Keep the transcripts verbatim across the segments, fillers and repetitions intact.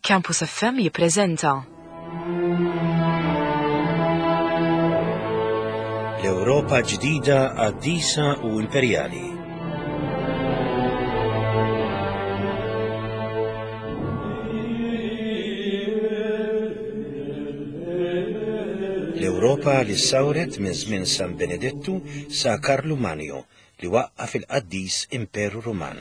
Campus F M jippreżenta L-Ewropa ġdida qaddisa u imperjali. L-Ewropa li sawret minn żmien San Benedettu sa Karlu Magno li waqqaf il-qaddis Imperu Ruman.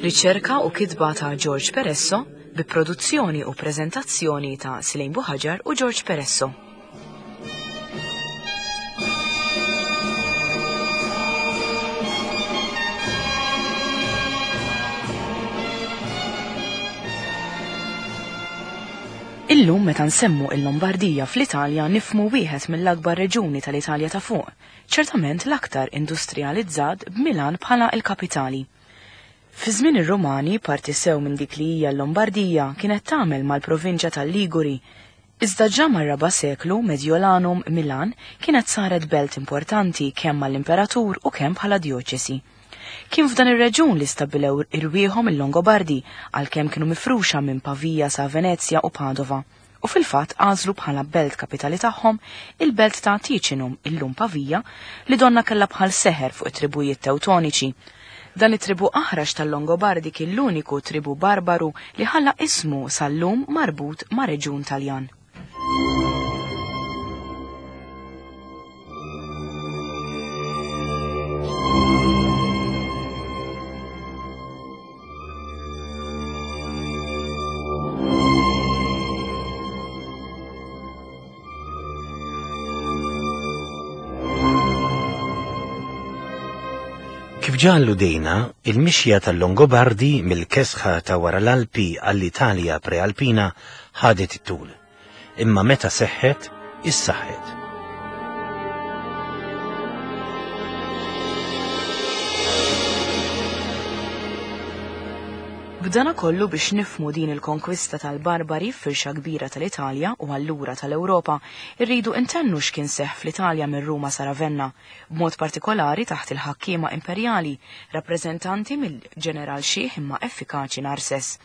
Riċerka u kitba ta' George Peresso bi produzzjoni u preżentazzjoni ta' Silejn Buħaġar u George Peresso. Illum meta nsemmu il-Lombardija fl-Italja nifmu wieħed mill-akbar reġuni tal-Italja ta' fuq, ċertament l-aktar industrializzat b'Milan bħala l-kapitali. Fi żmien ir-Rumani parti sew minn dik li hija l-Lombardija kienet tagħmel mal-provinċja tal-Liguri. Iżda ġa mar-raba' seklu Mediolanum Milan kienet saret belt importanti kemm mal-imperatur u kemm bħala djoċesi. Kien f'dan ir-reġun li stabbilew irwieħhom il-Longobardi għalkemm kienu mifruxa minn Pavia sa Venezja u Padova, u fil-fatt għażlu bħala belt kapitali tagħhom il-belt ta' Ticinum, illum Pavia, li donna kellha bħal seħer fuq it-tribujiet Tewtoniċi. Dan it-tribu aħrax tal-Longobardi kien l-uniku tribu barbaru li ħalla ismu sal-lum marbut ma' reġun Taljan. Kif ġa alludejna, il-mixja tal-Longobardi mill-kesħa ta' wara l-Alpi għall-Italja prealpina ħadet it-tul. Imma meta seħħet, issaħħet. B'dana kollu biex nifmu din il-konkwista tal-Barbari f'firxa kbira tal-Italja u allura tal-Ewropa, irridu intennu x'kien seħħ fl-Italja minn Ruma sa Ravenna, b'mod partikolari taħt il-ħakkiema imperjali, rappreżentanti mill-ġeneral xiħ imma effikaċi Narses.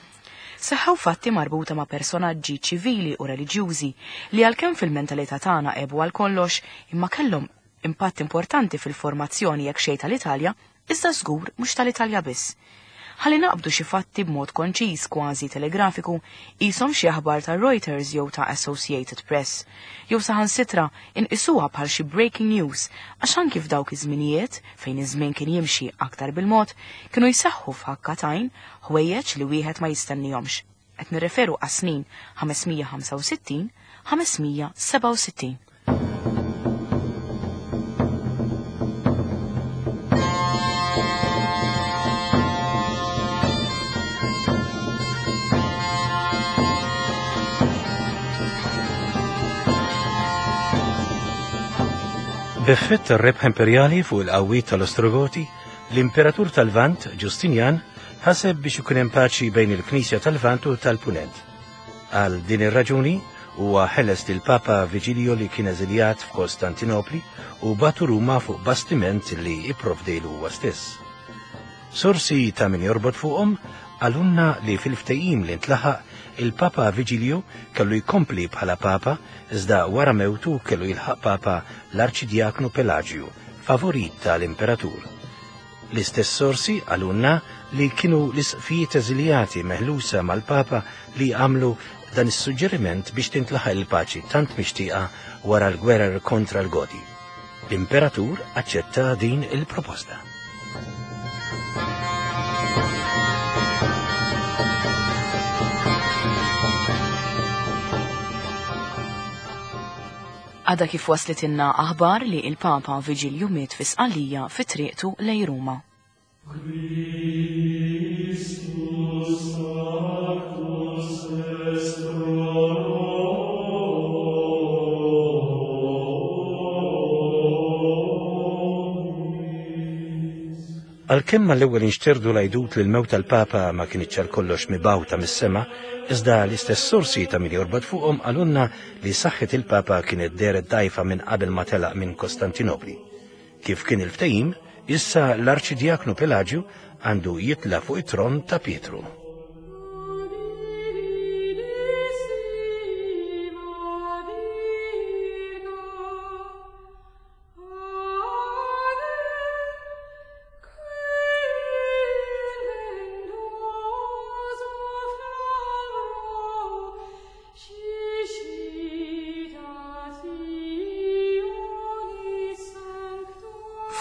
Seħħew fatti marbuta ma' personaġġi ċivili u reliġjużi li għalkemm fil-mentalità tagħna għebu għal kollox imma kellhom impatt importanti fil-formazzjoni jekk xejn tal-Italja, iżda żgur mhux tal-Italja biss. Ħalli naqbdu xi fatti b'mod konċiż kważi telegrafiku qishom xi aħbar ta' Reuters jew ta' Associated Press, jew saħansitra inqisuha bħal xi breaking news għax anki f'dawk iż-żminijiet fejn iż-żmien kien jimxi aktar bil-mod kienu jseħħu f'ħakka t'għajn ħwejjeġ li wieħed ma jistennihomx. Qed nirreferu għas-snin ħames mija ħamsa u sittin, ħames mija sebgħa u sittin. B'effett tar-rebħ imperjali fuq il-qawwiet tal-Ostrogoti, l-Imperatur tal-Lvant, Ġustinjan, ħaseb biex ikun hemm paċi bejn il-Knisja tal-Lvant u tal-Punent. Għal din ir-raġuni huwa ħeles lil Papa Vigilio li kien eżiljat f'Kostantinopli u batu Ruma fuq bastiment li ipprovdejlu huwa stess. Sorsi ta' min jorbot fuqhom għalunna li fil-ftehim li ntlaħaq il-Papa Vigilio kellu jkompli bħala Papa iżda wara mewtu kellu jilħaq Papa l-Arċidjaknu Pelagio, favorit tal-Imperatur. L-istess sorsi għalunna li kienu l-isqfijiet eżiljati meħlusa mal-Papa li għamlu dan is-suġġeriment biex tintlaħaq il-paċi tant mixtieqa wara l-gwerer kontra l-Goti. L-Imperatur aċċetta din il-proposta. Għada kif waslitilna aħbar li il-Papa Vigilju miet fi Sqallija fi triqtu lejn Ruma. Għalkemm mal-ewwel inxterdu l-għajdut li l-mewt tal-Papa ma kinitx għal kollox mibgħuta mis-sema, iżda l-istess sorsi ta' min jorbot fuqhom qalulna li saħħet il-Papa kienet dehret dgħajfa minn qabel ma telaq minn Kostantinopli. Kif kien il-ftehim, issa l-Arċidjaknu Pelagio għandu jitla fuq it-tron ta' Pietru.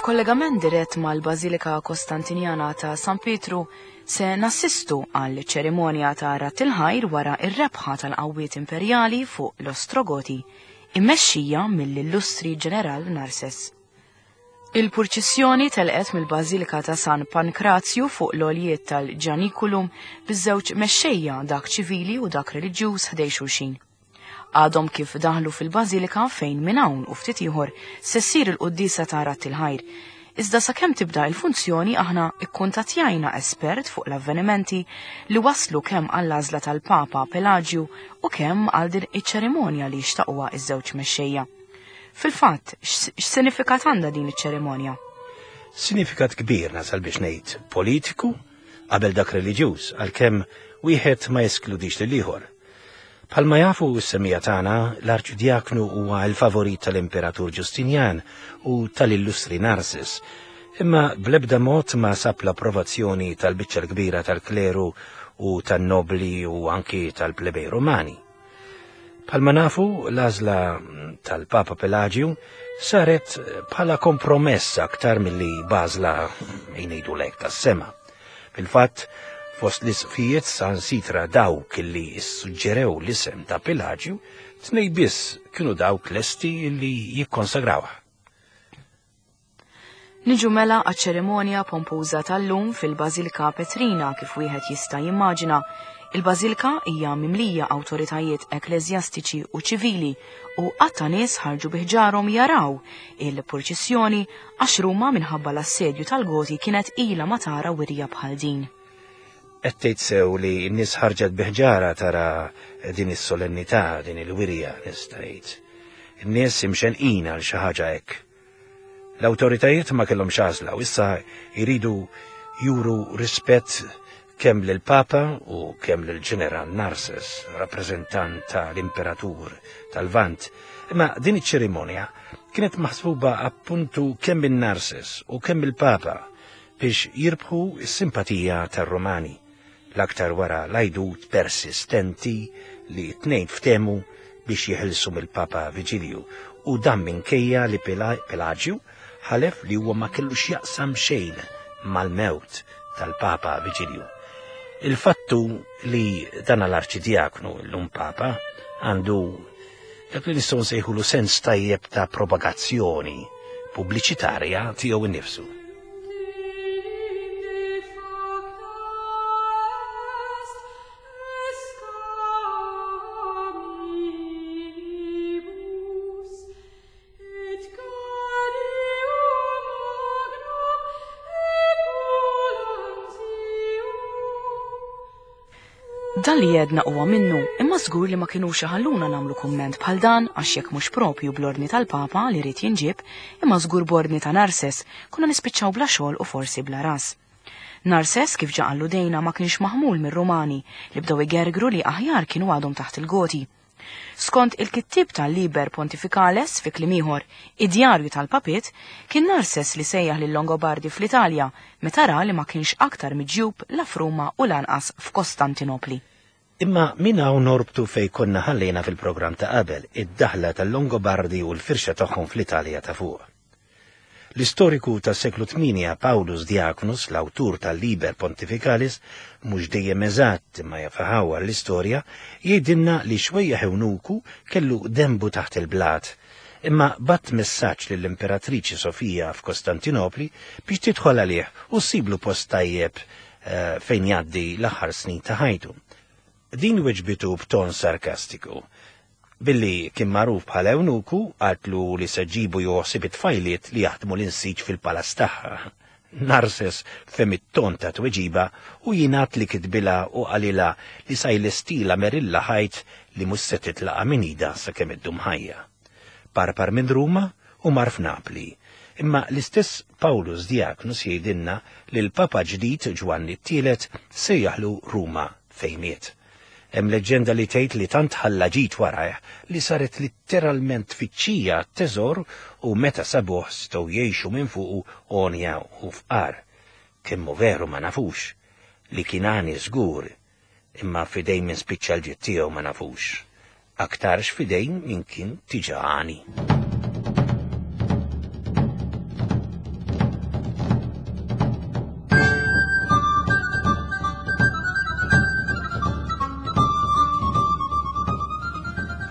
F'kollegament dirett mal-Bażilika Kostantinjana ta' San Pietru se nassistu għal ċerimonja ta' Radd il-Ħajr wara r-rebħa tal-qawwiet imperjali fuq l-Ostrogoti, immexxija mill-illustri ġeneral Narses. Il-purċissjoni telqet mill-Bażilika ta' San Pankrazju fuq l-għoljiet tal-Ġanikulum biż-żewġ mexxejja, dak ċivili u dak reliġjuż, ħdej xulxin. Għadhom kif daħlu fil-Bażilika fejn minn hawn u ftit ieħor se ssir il-quddiesa ta' Radd il-Ħajr. Iżda sakemm tibda il-funzjoni aħna ikkuntattjajna espert fuq l-avvenimenti li waslu kemm għall-għażla tal-Papa Pelaġju u kemm għal din iċ-ċerimonja li xtaquha iż-żewġ mexxejja. Fil-fatt, x'sinifikat għandha din iċ-ċerimonja? Sinifikat kbir nasal biex ngħid politiku qabel dak reliġjuż, għalkemm wieħed ma jeskludix lil ieħor. Bħalma jafu s-semija tagħna, l-Arċidjaknu huwa l-favorit tal-Imperatur Ġustinjan u tal-illustri Narses, imma bl-ebda mod ma sab l-approvazzjoni tal-biċċa l-kbira tal-kleru u tan-nobli u anki tal-plebej Romani. Bħalma nafu, l-għażla tal-Papa Pelaġju saret bħala kompromess aktar milli bażla jgħidu lek tas-sema. Fil-fatt, fost l-isqfijiet sansitra dawk li ssuġġerew l-isem ta' Pelaġju, tnej biss kienu dawk lesti li jikkonsagrawha. Niġu mela għaċ-ċerimonja pompuża tal-lum fil-Bażilika Petrina kif wieħed jista' jimmaġina. Il-Bażilika hija mimlija awtoritajiet ekkleżjastiċi u ċivili u qatta nies ħarġu bi ħġarhom jaraw il-purċissjoni għax Ruma minħabba l-assedju tal-Goti kienet ilha ma tara wirja bħal din. Qed tgħid sew li n-nies ħarġet bi ħġara tara din is-solennità, din il-wirja, nista' ngħid. In-nies imxenqin għal xi ħaġa hekk. L-awtoritajiet ma kellhomx għażla u issa jridu juru rispett kemm lill-Papa u kemm lill-Ġeneral Narses, rappreżentant tal-Imperatur tal-Lvant. Imma din iċ-ċerimonja kienet maħsuba appuntu kemm minn Narses u kemm il-Papa biex jirbħu s-simpatija tar-Romani, l-aktar wara l-għajdut persistenti li t-tnejn ftehmu biex jeħilsu mill-Papa Viġilju, u dan minkejja li Pelaġju ħalef li huwa ma kellux jaqsam xejn mal-mewt tal-Papa Viġilju. Il-fattu li dan l-Arċidjaknu llum Papa għandu dak li nistgħu nsejħulu sens tajjeb ta' propagazzjoni pubbliċitarja tiegħu innifsu. Dan li jedna huwa minnu, imma żgur li ma kinux iħalluna nagħmlu kumment bħal dan għax jekk mhux propju bl-ordni tal-Papa li rrid jinġieb, imma żgur b'ordni ta' Narses, konna nispiċċaw bla xogħol u forsi bla ras. Narses, kif ġa alludejna, ma kienx maħmul mir-Rumani li bdew igergru li aħjar kienu għadhom taħt il-Goti. Skont il-kittieb tal-Liber Pontificales, fi kliem ieħor, id-djarju tal-Papiet, kien Narses li sejjaħ lil Longobardi fl-Italja meta ra li ma kienx aktar miġjub la f'Ruma u lanqas f'Kostantinopli. Imma min hawn norbtu fej konna ħallejna fil-programm ta' qabel, id-daħla tal-Longobardi u l-firxa tagħhom fl-Italja ta' fuq. L-istoriku tas-seklu tmienja Paulus Diaconus, l-awtur tal-Liber Pontificalis, mhux dejjem eżatt imma jafaħawar l-istorja, jgħidilna li xwejja ewnuku kellu dembu taħt il-blat, imma bat messaġġ lill-Imperatriċi Sofija f'Kostantinopli biex tidħol għalih u ssiblu post tajjeb eh, fejn jgħaddi l-aħħar snin ta' ħajtu. Din weġbitu b'ton sarkastiku. Billi kien magħruf bħala ewnuku, qaltlu li se ġibu joħsib it-tfajliet li jaħdmu l-insiġ fil-palazz tagħha. Narses fem it-ton ta' tweġiba u jingħad li kitbilha u qalilha li sa jlestila merilla ħajt li mhux se titlaqa' minn idha sakemm iddum ħajja. Parpar minn Ruma u mar f'Napli, Imma l-istess Paulus Diaconus jgħidilna li l-Papa ġdid Ġwanni t-Tielet sejjaħlu Ruma fejn miet. Hemm leġġenda li tgħid li tant ħalla ġid warajh li saret litteralment tfittxija teżor u meta sabuh setgħu jgħixu minn fuqu għonja u fqar. Kemm hu veru ma nafux, li kien għani żgur, imma f'idejn min spiċċa l-ġid tiegħu ma nafux. Aktarx f'idejn min kien diġà għani.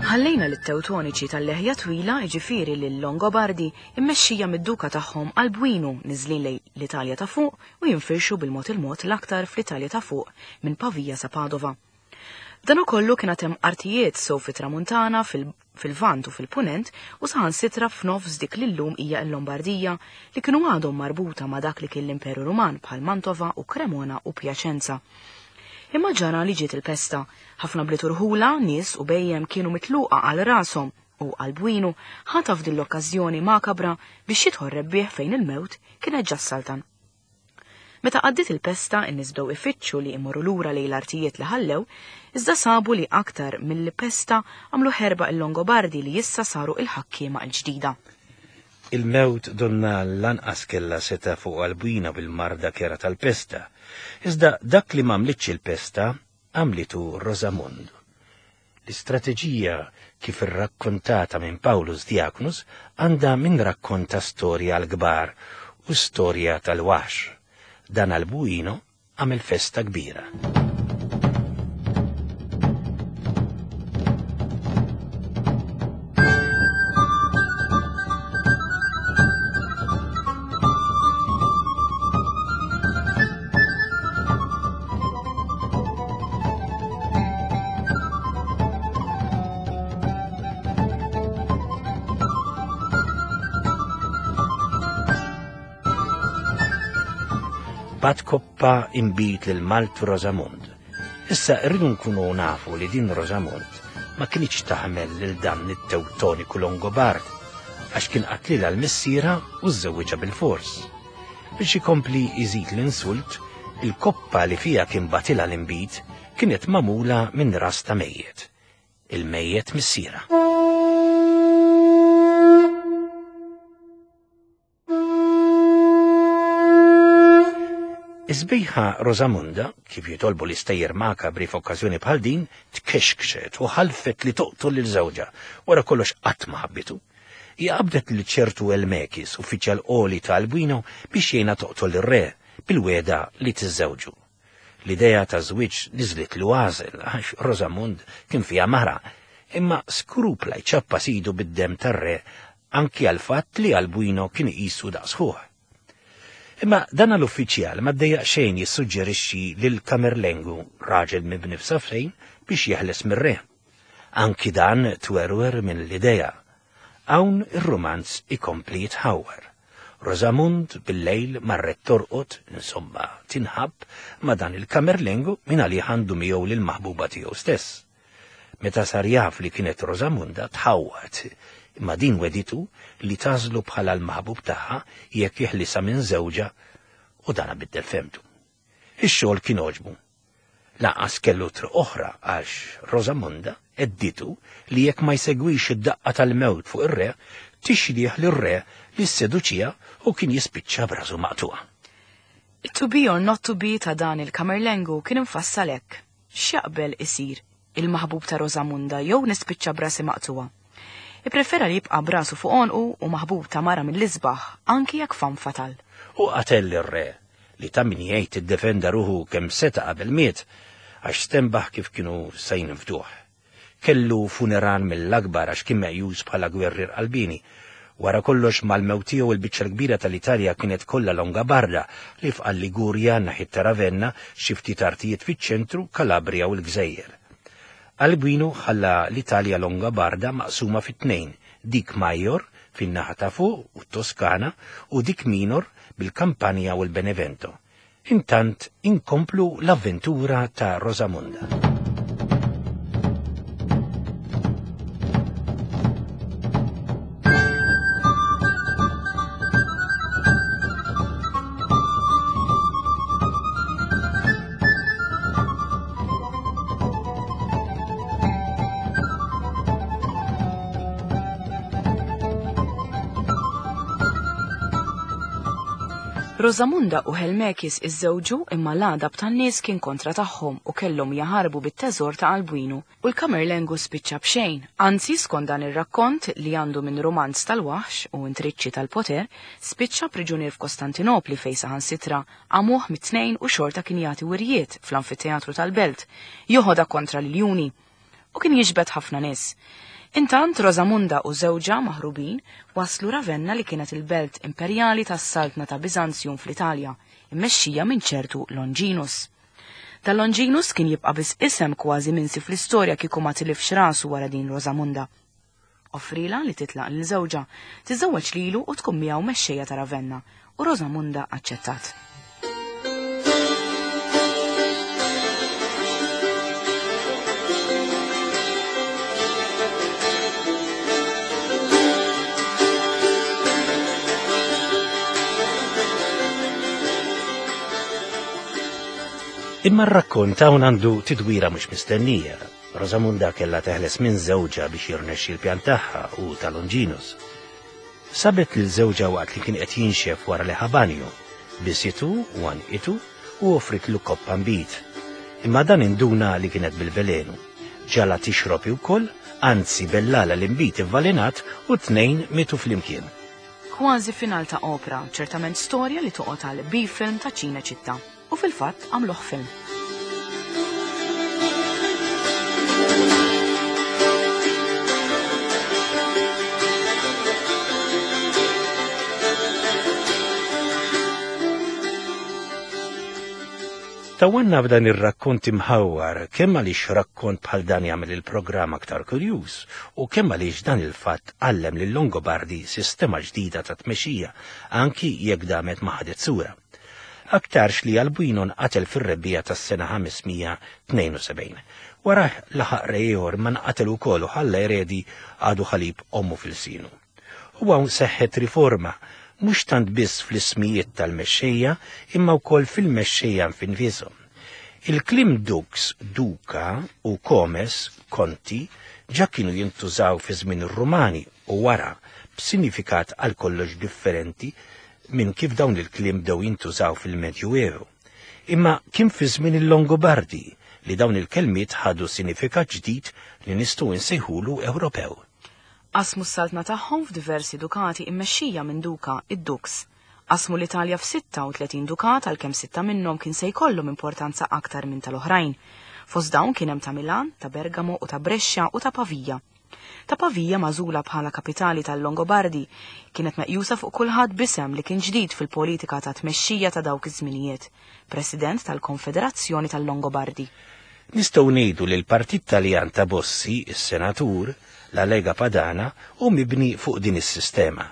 Ħallejna lit-Tewtoniċi tal-leħja twila, jiġifieri lil-Longobardi, immexxija mid-duka tagħhom Albuinu niżlin lejn l-Italja ta' fuq u jinfirxu bil-mod il-mod l-aktar fl-Italja ta' fuq minn Pavia sa Padova. B'dan ukollu kien għad hemm artijiet sew fit-Tramuntana, fil-Lvant u fil-Punent u saħansitra f'nofs dik li llum hija l-Lombardija li kienu għadhom marbuta ma' dak li kien l-Imperu Ruman bħal Mantova u Cremona u Piacenza. Imma ġara li ġiet il-pesta. Ħafna bliet urħula, nies u bejjem kienu mitluqa għal rashom u Albuinu ħataf din l-okkażjoni makabra biex jidħol rebbieħ fejn il-mewt kienet ġa s-saltan. Meta għaddiet il-pesta, in-nies bdew ifittxu li imorru lura lejn l-artijiet li ħallew, iżda sabu li aktar mill-pesta għamlu ħerba il-Longobardi li issa saru il-ħakkiema l-ġdida. Il-mewt donna lanqas kella seta fuq Albuina bil-marda kera tal-pesta. Iżda dak li m'għamlitx il-pesta għamlitu Rosamund. L-istrateġija kif irrakkontata minn Paulus Diaconus għandha min rakkonta storja l-kbar u storja tal-waħx. Dan Albuino għamel festa kbira. Bat koppa imbit lil Maltu Rosamund. Issa rridu nkunu nafu li din Rosamund ma kienx taħmel lil dan it-Tewtoniku Longobard għax kien qatlilha l-missiera u żżewwiġha bil-fors. Biex ikompli iżid l-insult, il-koppa li fija kien batilha l-imbit kienet magħmula minn ras ta' mejjet. Il-mejjet missiera. Iż-sbejħa Rosamunda, kif jitolbu l-istejjer makabri f'okkażjoni bħal din, tkexkxet u ħalfet li toqtol lil żewġha, wara kollox qatt ma ħabbitu. Hija qabdet lil ċertu Elmekis, uffiċjal qoli ta' Albuino, biex jgħinha toqtol ir-re bil-weda li tiżżewġu. L-idea ta' żwieġ niżlitlu għażel għax Rosamund kien fiha mara, imma skrupla jċappa sidu bid-dem tar-re anki għal fatt li Albuino kien iqisu daqs ħuh. Imma dan l-uffiċjal ma ddejjaq xejn jissuġġerixxi lil Kamerlengu, raġel mibni f'safrejn, biex jeħles mir-re. Anki dan twerwer minn l-idea. Hawn ir-romanz ikompli jitħawwar. Rosamund bil-lejl marret torqod, insomma, tinħabb ma' dan il-Kamerlengu minn għalih għandu miegħu lill-maħbuba tiegħu stess. Meta sar jaf li kienet Rosamunda tħawwat, imma din weditu li tażlu bħala l-maħbub tagħha jekk jeħlisha minn żewġha u dana biddel femtu. Ix-xogħol kien għoġbu. Lanqas kellu triq oħra għax Rosamunda edditu li jekk ma jsegwix id-daqqa tal-mewt fuq ir-re, tixrieħ lir-re li sseduċija u kien jispiċċa b'rasu maqtuqa. It-to be or not to be ta' dan il-Kamerlengu kien imfassal hekk. X'jaqbel isir il-maħbub ta' Rosamunda jew nispiċċa brasi maqtuqa. Ipprefera li jibqa' brasu fuq għonqu u maħbub ta' mara mill-isbaħ anki jekk fam fatal. U qatel ir-re li ta' min jgħid iddefenda ruħu kemm seta' qabel miet għax stenbaħ kif kienu se jinfduh. Kellu funeral mill-akbar għax kien meqjus bħala gwerrier qalbini. Wara kollox mal-mewt tiegħu il-biċċa l-kbira tal-Italja kienet kollha Longobarda li fqal Ligurja naħi ta' Ravenna, xi ftit artijiet fiċ-ċentru, Kalabria u l-Gżejjer. Albuino ħalla l-Italja Longobarda maqsuma fit-tnejn, dik Major fin-naħa ta' fuq u t-Toskana u dik Minor bil-Kampanja u l-Benevento. Intant inkomplu l-avventura ta' Rosamunda. Rosamunda u Helmekis iżżewġu imma l-għadab tan-nies kien kontra tagħhom u kellhom jaħarbu bit-teżor ta' Albuinu u l-Kamerlengu spiċċa b'xejn. Anzi, skont dan ir-rakkont li għandu minn romanz tal-waħx u intriċċi tal-poter, spiċċa priġunier f'Kostantinopli fejn saħansitra għamuh mit-tnejn u xorta kien jagħti wirjiet fl-anfiteatru tal-belt, joħodha kontra l-iljuni u kien jiġbed ħafna nies. Intant Rosamunda u żewġha maħrubin waslu Ravenna li kienet il-belt imperjali tas-saltna ta' Biżanzjum fl-Italja, immexxija minn ċertu Longinus. Ta' Longinus kien jibqa' biss isem kważi minsi fl-istorja kieku ma tilifx rasu wara din Rosamunda. Offrila li titlaq lil żewġha, tiżżewweġ lilu u tkun miegħu mexxejja ta' Ravenna, u Rosamunda aċċettat. Imma r-rakkont hawn għandu tidwira mhux mistennija. Rosamunda kellha teħles minn żewġha biex jirnexxi l-pjan tagħha u ta' Longinus. Sabet lil żewġha waqt li kien qed jinxef wara li ħabanju, bisitu u għanqitu u offritlu koppa nbid. Imma dan induna li kienet bil-velenu. Ġala tixrob ukoll, anzi bellala l-inbid ivvalenat u tnejn mitu flimkien. Kważi final ta' opra, ċertament storja li toqgħod għal B-film ta' Ċineċittà. U fil-fatt għamluh film. Tawanna b'dan ir-rakkont imħawwar kemm għaliex rakkont bħal dan jagħmel il-programm aktar kurjuż u kemm għaliex dan il-fatt għallem lil Longobardi sistema ġdida ta' tmexxija anki jekk damet ma ħadet sura. Aktarx li Albuino nqatel fir-rebbiegħa tas-sena ħames mija tnejn u sebgħin. Wara laħaq re ieħor ma nqatel ukoll u ħalla eredi għadu ħalib ommu fil-sinu. U hawn seħħet riforma mhux tant biss fl-ismijiet tal-mexxejja imma wkoll fil-mexxejja nfishom. Il-kliem dux, duka u comes, konti, ġa kienu jintużaw fi żmien ir-Rumani u wara b'sinifikat għal kollox differenti minn kif dawn il-kliem bdew jintużaw fil-Medjuevu. Imma kien fi żmien il-Longobardi li dawn il-kelmiet ħadu sinifikat ġdid li nistgħu nsejħulu Ewropew. Qasmu s-saltna tagħhom f'diversi dukati immexxija minn duka id-dux. Qasmu l-Italja f'sitta u tletin dukat għalkemm sitta minnhom kien se jkollhom importanza aktar minn tal-oħrajn. Fost dawn kien hemm ta' Milan, ta' Bergamo u ta' Brescia u ta' Pavia. Ta' Pavia magħżula bħala kapitali tal-Longobardi kienet meqjusa fuq kulħadd b'isem li kien ġdid fil-politika ta' tmexxija ta' dawk iż-żminijiet, President tal-Konfederazzjoni tal-Longobardi. Nistgħu ngħidu li l-Partit Taljan ta' Bossi, is-Senatur, la Lega Padana, hu mibni fuq din is-sistema.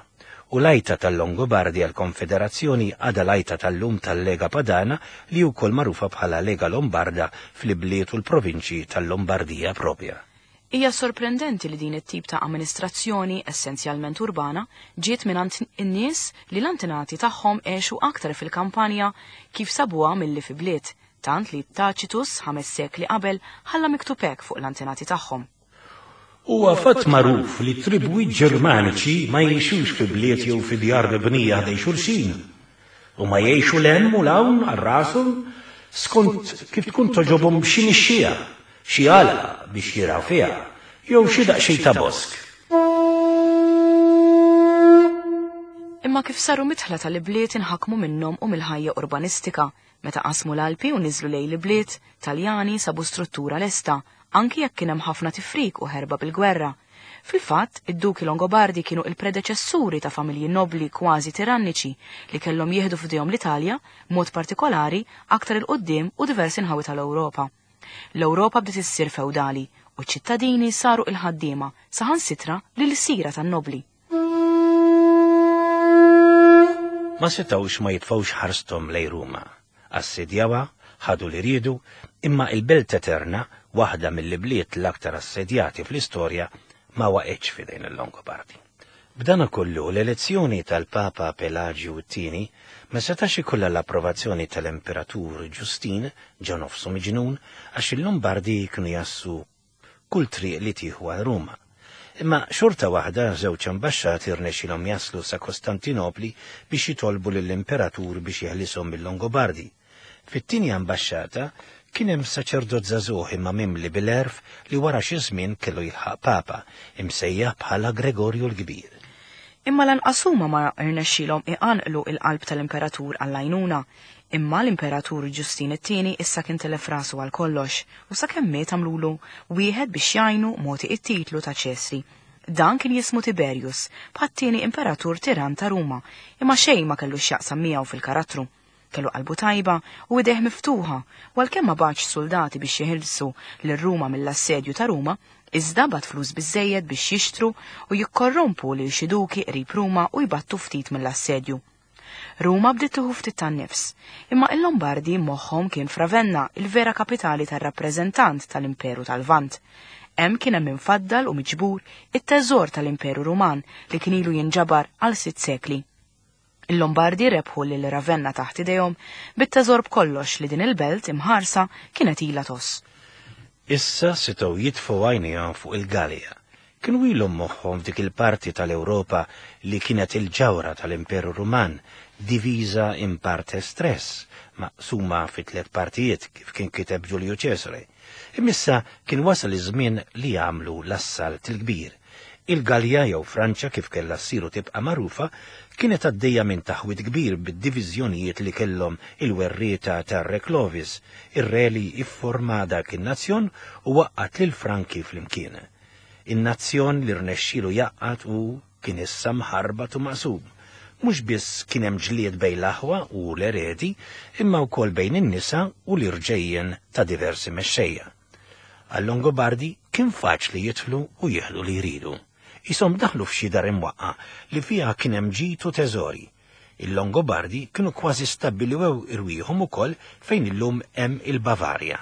U l-għajta tal-Longobardi għall-Konfederazzjoni għadha l-għajta tal-lum tal-Lega Padana li wkoll magħrufa bħala Lega Lombarda fl-ibliet u l-provinċji tal-Lombardija propja. Hija sorprendenti li din it-tip ta' amministrazzjoni essenzjalment urbana ġiet mingħand in-nies li l-antenati tagħhom għexu aktar fil-kampanja kif sabuha milli fi bliet, tant li Tacitus ħames sekli qabel ħalla miktub hekk fuq l-antenati tagħhom. Huwa fatt magħruf li tribwi Ġermaniċi ma jgħixux fi bliet jew fi djar mibnija ħdejn xulxin. U ma jgħixu l-hemm u l-hawn għal rashom skont kif tkun toġobhom xi nixxija, xi għala biex jiraw fiha, jew xi daqsxejn ta' bosk. Imma kif saru mitħla tal-ibliet inħakmu minnhom u mill-ħajja urbanistika, meta qasmu l-Alpi u niżlu lejn l-ibliet, Taljani sabu struttura lesta, anki jekk kien hemm ħafna tifrik u ħerba bil-gwerra. Fil-fatt, id-duki Longobardi kienu il-predeċessuri ta' familji nobli kważi tiranniċi li kellhom jieħdu f'idejhom l-Italja, mod partikolari aktar il-qudiem u diversi nħawi tal-Ewropa. L-Ewropa bdiet issir feudali u ċ-ċittadini saru il-ħaddiema saħansitra lil sira tan-nobli. Ma setgħux ma jitfgħux ħarsthom lejn Ruma. Assedjawha, ħadu li riedu, imma il-Belt Eterna, waħda mill-ibliet l-aktar assedjati fl-istorja, ma waqgħetx f'idejn il-Longobardi. B'dan kollu l-elezzjoni tal-Papa Pelagju t-tieni ma setax ikollha l-approvazzjoni tal-Imperatur Ġustin ġo nofsu miġnun għax il-Lombardi kienu jassu kull triq li tieħu għal Ruma. Imma xorta waħda żewġ ambaxxati rnexxilhom jaslu sa Kostantinopli biex jitolbu lill-imperatur biex jeħlishom mill-Longobardi. Fit-tieni ambaxxata kien hemm saċerdot żagħżugħ imma mimli bil-għerf li wara xi żmien kellu jilħaq papa, imsejjaħ bħala Gregorju l-Kbir. Imma lanqas huma ma rnexxilhom iqanqlu il-qalb tal-imperatur għall-għajnuna. Imma l-imperatur Ġustin it-tieni issa kien telef rasu għal kollox u sakemm miet għamlulu wieħed biex jgħinu mogħti it-titlu ta' Ċesri. Dan kien jismu Tiberius, bħat-tieni imperatur tiran ta' Ruma, imma xejn ma kellu x'jaqsam miegħu fil-karattru. Kellu qalbu tajba u idejh miftuħa, u għalkemm ma bagħatx soldati biex jeħilsu lil Ruma mill-assedju ta' Ruma, iżda bagħat flus biżżejjed biex jixtru u jikkorrompu lil xi duki qrib Ruma u jbattu ftit mill-assedju. Ruma bdiet tieħu ftit tan-nifs, imma il-Lombardi moħħhom kien f'Ravenna, il-vera kapitali tar-rappreżentant tal-Imperu tal-Lvant. Hemm kien hemm infaddal u miġbur it-teżor tal-Imperu Ruman li kien ilu jinġabar għal sitt sekli. Il-Lombardi rebħu lil Ravenna taħt idejhom bit-teżor b'kollox li din il-belt imħarsa kienet ilha toss. Issa setgħu jitfgħu għajnejhom fuq il-Gallia. Kienu ilhom moħħhom f'dik il-parti tal-Ewropa li kienet il-ġawra tal-Imperu Ruman, diviża in partes tres, maqsuma fi tliet partijiet kif kien kiteb Ġulju Ċesare. Imissa kien wasal iż-żmien li jagħmlu l-assalt il-kbir. Il-Gallia jew Franċa kif kellha ssiru tibqa' magħrufa kienet għaddejja minn taħwit kbir bid-diviżjonijiet li kellhom il-werrieta tar-Re Clovis, ir-re li ifforma dak in-nazzjon u waqqat lil Franki flimkien. In-nazzjon li rnexxielu jaqqat u kien issa mħarbat u maqsum. Mhux biss kien hemm ġlied bejn l-aħwa u l-eredi, imma wkoll bejn in-nisa u l-irġejjen ta' diversi mexxejja. Għal-Longobardi kien faċli jidħlu u jieħdu li jridu. Isom daħlu f'xi dar imwaqqa li fiha kien hemm ġid u teżori. Il-Longobardi kienu kważi stabbiliwew irwieħhom ukoll fejn illum hemm il-Bavarja.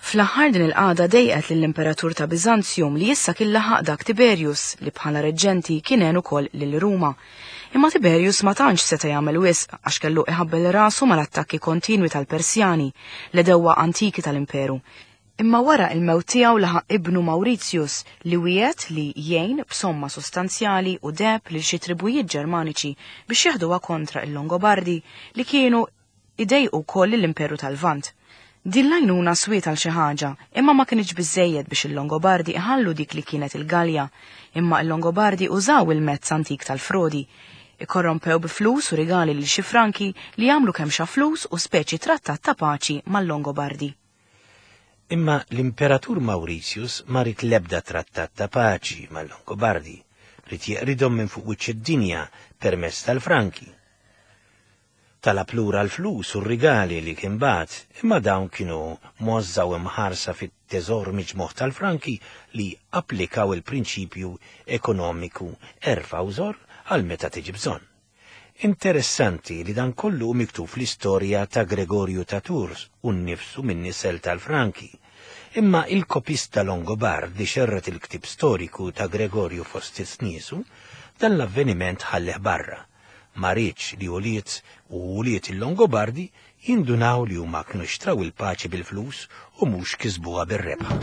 Fl-aħħar din il-qagħda dejqet lill-Imperatur ta' Biżanzjum li issa kien laħaq dak Tiberius li bħala reġġenti kien għen ukoll lil Ruma. Imma Tiberius ma tantx seta' jagħmel wisq għax kellu iħabbel rasu mal-attakki kontinwi tal-Persjani, l-edewwa antiki tal-Imperu. Imma wara il-mewt tiegħu laħaq ibnu Mauritius li wiegħed li jgħin b'somma sostanzjali u deheb lil xi tribujiet Ġermaniċi biex jaħduha kontra il-Longobardi li kienu idejqu wkoll l-Imperu tal-Lvant. Din l-għajnuna swiet għal xi ħaġa, imma ma kienx biżżejjed biex il-Longobardi iħallu dik li kienet il-Galja, imma il-Longobardi użaw il-mezz antik tal-frodi. Ikorrompew bi flus u rigali lil xi Franki li jagħmlu kemm xa flus u speċi trattat ta' paċi mal-Longobardi. Imma l-Imperatur Mauritius ma rid l-ebda trattat ta' paċi mal-Longobardi, rid jeqridhom minn fuq wiċċ id-dinja permezz tal-Franki. Talab lura l-flus u r-rigali li kien bagħat, imma dawn kienu mozza u imħarsa fit-teżor miġmuħ tal-Franki li applikaw il-prinċipju ekonomiku erfa' u żor għal meta tiġi bżonn. Interessanti li dan kollu miktub fl-istorja ta' Gregorju ta' Tours u nnifsu minn nisel tal-Franki. Imma il-kopista Longobard li xerret il-ktib storiku ta' Gregorju fost niesu, dan l-avveniment ħalleh barra. Ma riedx li ulied u ulied il-Longobardi jindunaw li huma kienu xtraw il-paċi bil-flus u mhux kisbuha bir-rebħa.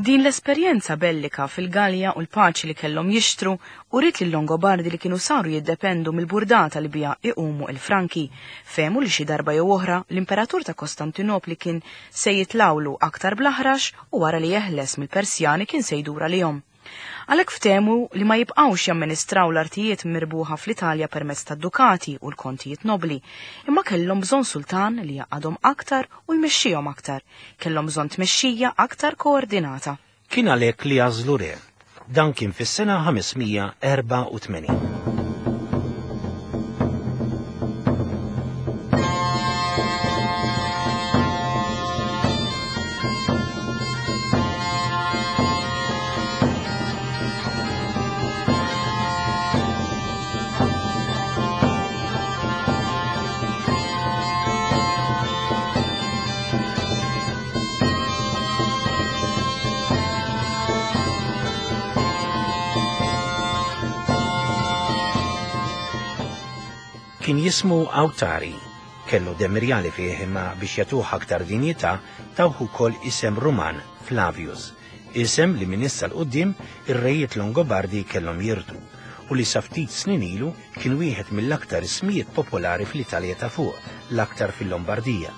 Din l-esperjenza bellika fil-Galja u l-paċi li kellhom jixtru uriet lil-Longobardi li kienu saru jiddependu mill-burdata li biha iqumu il-Franki. Fehmu li xi darba jew oħra l-Imperatur ta' Kostantinopli kien se jitlawlu aktar bl-aħrax u wara li jeħles mill-Persjani kien se jdur għalihom. Għalhekk ftehmu li ma jibqgħux jamministraw l-artijiet mirbuħa fl-Italja permezz tad-dukati u l-kontijiet nobli, imma kellhom bżonn sultan li jaqadhom aktar u jmexxihom aktar, kellhom bżonn tmexxija aktar koordinata. Kien għalhekk li għażlu re. Dan kien fis-sena ħames mija erbgħa u tmenin. Kien jismu Awtari, Kellu demm irjali fih imma biex jagħtuh aktar dinjità tawh ukoll isem Ruman, Flavius, isem li minn issa 'l quddiem ir-rejiet Longobardi kellhom jirtu u li sa ftit snin ilu kien wieħed mill-aktar ismijiet popolari fl-Italja ta' fuq, l-aktar fil-Lombardija.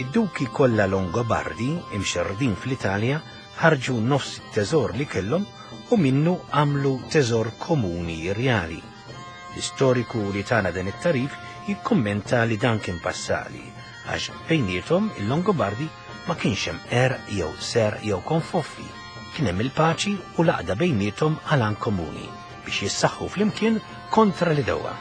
Id-duki kollha Longobardi imxerrdin fl-Italja ħarġu nofs it-teżor li kellhom u minnu għamlu teżor komuni rjali. L-istoriku li tana dan it-tagħrif jikkummenta li dan kien passali, għax bejniethom il-Longobardi ma kienx hemm għerq jew serq jew konfoffi, kien hemm il-paċi u l-għaqda bejniethom għal għan komuni biex jissaħħu flimkien kontra l-għedewwa.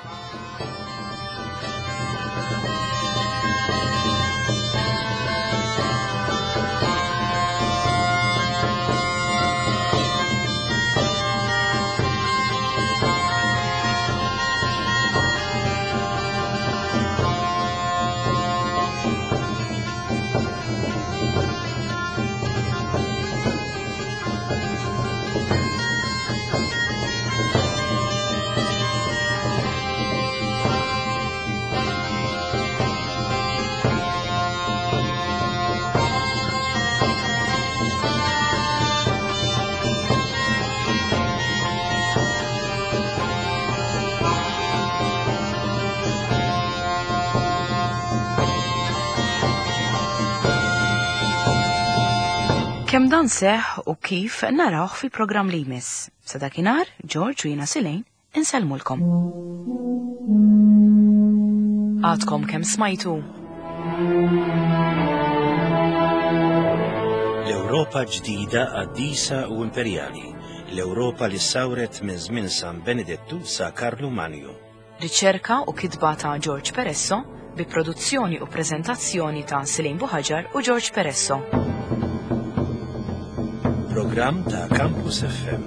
Kemm dan seħħ u kif narawh fil-programm li jmiss. Sa dakinhar, George u jiena Silejn insellmulkom. Għadkom kemm smajtu. L-Ewropa ġdida qaddisa u imperjali, l-Ewropa li sawret minn żmien San Benedettu sa Karlu Manju. Riċerka u kitba ta' George Peresso bi produzzjoni u preżentazzjoni ta' Silejn Buħaġar u George Peresso. Programm ta' Campus F M.